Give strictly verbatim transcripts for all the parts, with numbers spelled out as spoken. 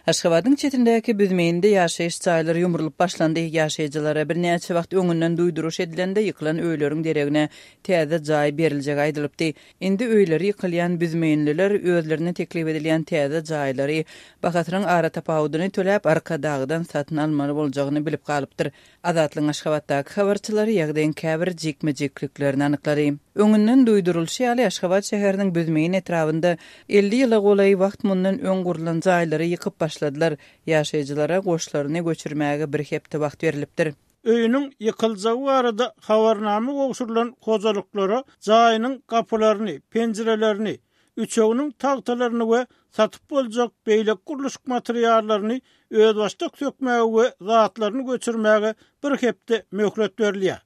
Aşgabadyň çetindäki Büzmeýinde ýaşaýyş jaýlary ýumrulyp başlandy. Ýaşaýjylara birnäçe wagt öňünden duýduryş edilende ýykylan öýleriň deregine täze jaý beriljegi aýdylypdy. Indi öýleri ýykylýan büzmeýinliler özlerine teklip edilýän täze jaýlary bahasynyň aratapawudyny töläp Arkadagdan satyn almaly boljagyny bilip galypdyr. Azatlygyň Aşgabatdaky habarçylary ýagdaýyň käbir jikme-jikliklerini anyklady. Öňünden duýdurylyşy ýaly, Aşgabat şäheriniň Büzmeýin etrabynda elli ýyla golaý wagt mundan öň gurlan jaýlary ýykyp başladylar. Ýaşaýjylara goşlaryny göçürmäge bir hepde wagt berlipdir. Öýüniň ýykyljagy barada habarnama gowşurylan hojalyklara jaýynyň gapylaryny, penjirelerini, üçeginiň tagtalaryny we satyp boljak beýleki gurluşyk materiallaryny özbaşdak sökmäge we zatlaryny göçürmäge bir hepde möhlet berilýär.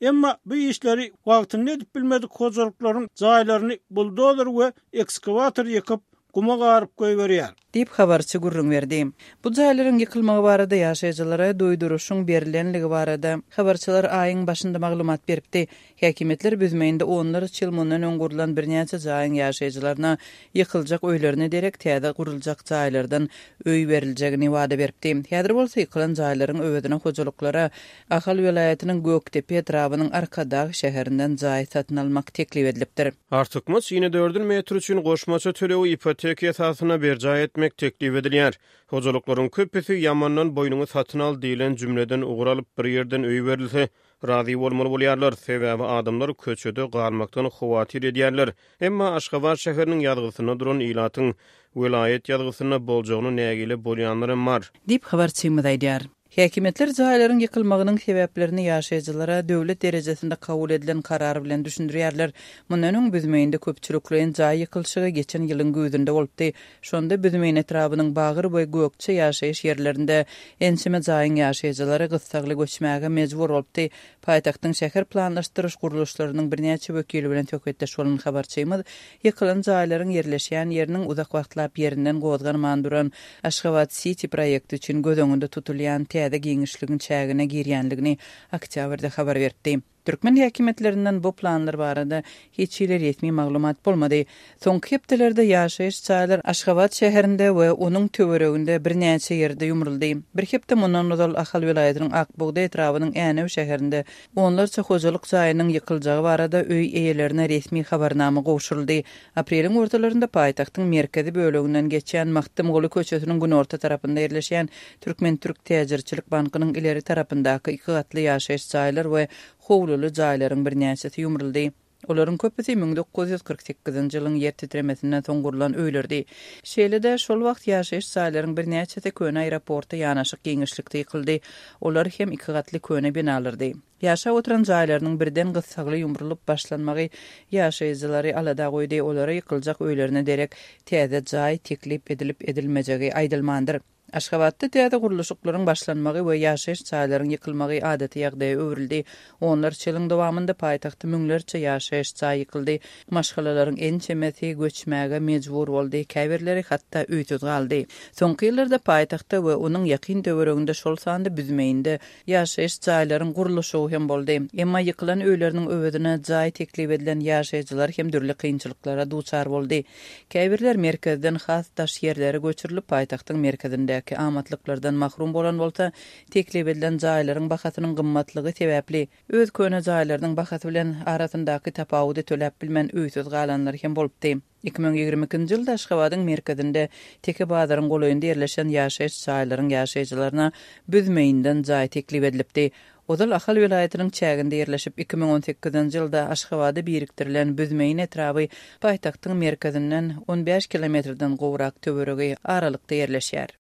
Emma bu işleri wagtynda edip bilmedik hojalyklaryň jaýlaryny buldozer we ekskawator ýykyp, guma garyp goýberýär. Diýip, habarçy gürrüň berdi. Bu jaýlaryň ýykylmagy barada ýaşaýjylara duýduryşyň berlenligi barada habarçylar aýyň başynda maglumat beripdi. Häkimiýetler Büzmeýinde onlarça ýyl mundan öň gurlan birnäçe jaýyň ýaşaýjylaryna ýykyljak öýlerine derek täze guruljak jaýlardan öý beriljegini wada beripdi. Häzir bolsa ýykylan jaýlaryň öwezine hojalyklara Ahal welaýatynyň Gökdepe etrabynyň Arkadag şäherinden jaý satyn almak teklip edilipdir. Artykmaç inedördül metr üçin goşmaça tölegi ipoteka esasynda berjaý etmek teklip edilýär. Hojalyklaryň köpüsi ýamandan boýnuňy satyn al diýlen jümleden ugur alyp, bir ýerden öý berilse, razy bolmaly bolýarlar. Sebäbi adamlar köçede galmakdan howatyr edýärler. Emma Aşgabat şäheriniň ýazgysynda duran ilatyň welaýat ýazgysynda boljagyna nägile bolýanlar hem bar. Diýip, habarçymyz aýdýar. Häkimiýetler jaýlaryň ýykylmagynyň sebäplerini ýaşaýjylara döwlet derejesinde kabul edilen karar bilen düşündirýärler. Mundan öň Büzmeýinde köpçülikleýin jaý ýykylyşygy geçen ýylyň güýzünde bolupdy. Şonda Büzmeýin etrabynyň Bagyr we Gökje ýaşaýyş ýerlerinde ençeme jaýyň ýaşaýjylary gyssagly göçmäge mejbur bolupdy. Paýtagtyň şäher planlaşdyryş gurluşlarynyň birnäçe wekili bilen söhbetdeş bolan habarçymyz ýykylan jaýlaryň ýerleşýän ýeriniň uzak wagtlap ýerinden gozganman duran Aşgabat Siti proýekti üçin göz öňünde tutulýan täze giňişligiň çägine girýänligini oktýabrda habar beripdi. Türkmen häkimiýetlerinden bu planlar barada hiç hili resmi maglumat bolmady. Soňky hepdelerde ýaşaýyş jaýlar Aşgabat şäherinde we onuň töwereginde birnäçe ýerde ýumruldy. Bir hepde mundan ozal Ahal welaýatynyň Ak bugdaý etrabynyň Änew şäherinde onlarça hojalyk jaýynyň ýykyljagy barada öý eýelerine resmi habarnama gowşuryldy. Apreliň ortalarynda paýtagtyň merkezi böleginden geçýän Magtymguly köçesiniň günorta tarapynda ýerleşýän Türkmen-Türk täjirçilik bankynyň ileri tarapyndaky iki gatly ýaşaýyş jaýlar we howluly jaýlaryň birnäçesi ýumruldy. Olaryň köpüsi müň dokuz ýüz kyrk sekizinji ýylyň ýer titremesinden soň gurlan öýlerdi. Şeýle-de, şol wagt ýaşaýyş jaýlaryň birnäçesi köne aeroporta ýanaşyk giňişlikde ýykyldy. Olar hem iki gatly köne binalardy. Ýaşap oturan jaýlarynyň birden gyssagly ýumrulyp başlanmagy ýaşaýjylary alada goýdy, olara ýykyljak öýlerine derek täze jaý teklip edilip-edilmejegi aýdylmandyr. Aşgabatda täze gurluşyklaryň başlanmagy we ýaşaýyş jaýlaryň ýykylmagy adaty ýagdaýa öwrüldi. Onlarça ýylyň dowamynda paýtagtda müňlerçe ýaşaýyş jaý ýykyldy. Maşgalalaryň ençemesi göçmäge mejbur boldy, käbirleri hatda öýsüz galdy. Soňky ýyllarda paýtagtda we onuň ýakyn töwereginde, şol sanda Büzmeýinde ýaşaýyş jaýlaryň gurluşygy hem boldy. Emma ýykylan öýleriniň öwezine jaý teklip edilen ýaşaýjylar hem dürli kynçylyklara duçar boldy. Käbirler merkezden has daş ýerlere göçürilip, paýtagtyň merkezindäki amatlyklardan mahrum bolan bolsa, teklip edilen jaýlaryň bahasynyň gymmatlygy sebäpli, öz köne jaýlarynyň bahasy bilen arasyndaky tapawudy töläp bilmän öýsüz galanlar hem bolupdy. Iki müň ýigrimi ikinji ýylda Aşgabadyň merkezinde Teke bazaryň golaýynda ýerleşen ýaşaýyş jaýlaryň ýaşaýjylaryna Büzmeýinden jaý teklip edilipdi. Ozal Ahal welaýatynyň çäginde ýerleşip, iki müň on sekizinji ýylda Aşgabada birikdirilen Büzmeýin etraby paýtagtyň merkezinden on bäş kilometrden gowrak töweregi aralykda ýerleşýär.